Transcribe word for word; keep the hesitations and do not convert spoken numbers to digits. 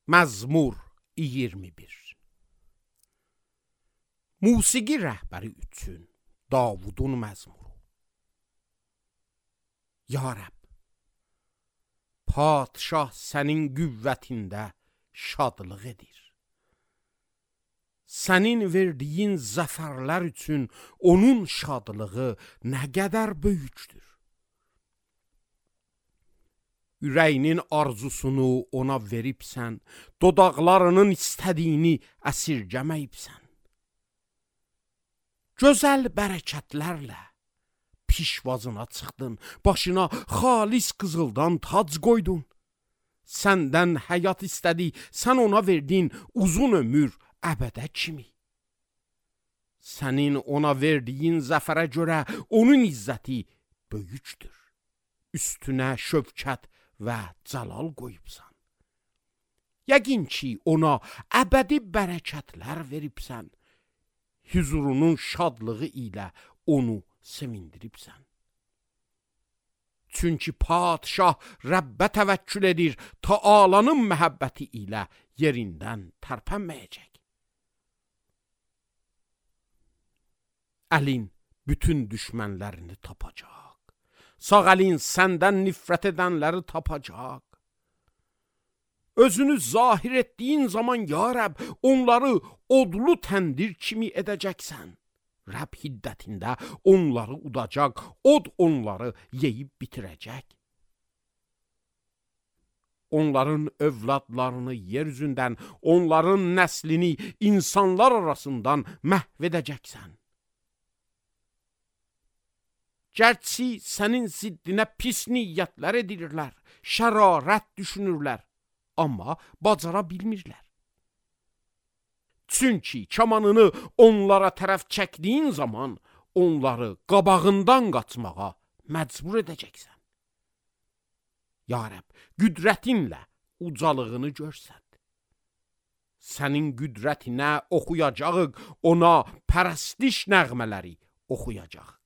Məzmur iyirmi bir. Musiqi rəhbəri üçün Davudun məzmuru. Ya Rəbb, padşah sənin qüvvətində şadlıq edir. Sənin verdiyin zəfərlər üçün onun şadlığı nə qədər böyükdür. Ürəyinin arzusunu ona veribsən, dodaqlarının istədiyini əsirgəməyibsən. Gözəl bərəkətlərlə pişvazına çıxdın, başına xalis qızıldan tac qoydun. Səndən həyat istədi, sən ona verdin uzun ömür əbədə kimi. Sənin ona verdiyin zəfərə görə onun izzəti böyükdür. Üstünə şövkət və cəlal qoyubsan. Yəqin ki, ona əbədi bərəkətlər veribsən. Hüzurunun şadlığı ilə onu sevindiribsən. Çünki padşah Rəbbə təvəkkül edir, Taalanın məhəbbəti ilə yerindən tərpənməyəcək. Əlin bütün düşmənlərini tapacaq. Sağ əlin səndən nifrət edənləri tapacaq. Özünü zahir etdiyin zaman ya Rəbb, onları odlu təndir kimi edəcəksən. Rəbb hiddətində onları udacaq, od onları yeyib bitirəcək. Onların övladlarını yer üzündən, onların nəslini insanlar arasından məhv edəcəksən. Gərçi sənin ziddinə pis niyyətlər edirlər, şərarət düşünürlər, amma bacara bilmirlər. Çünki kamanını onlara tərəf çəkdiyin zaman onları qabağından qaçmağa məcbur edəcəksən. Ya Rəbb, qüdrətinlə ucalığını görsət. Sənin qüdrətinə oxuyacağıq, ona pərəstiş nəğmələri oxuyacaq.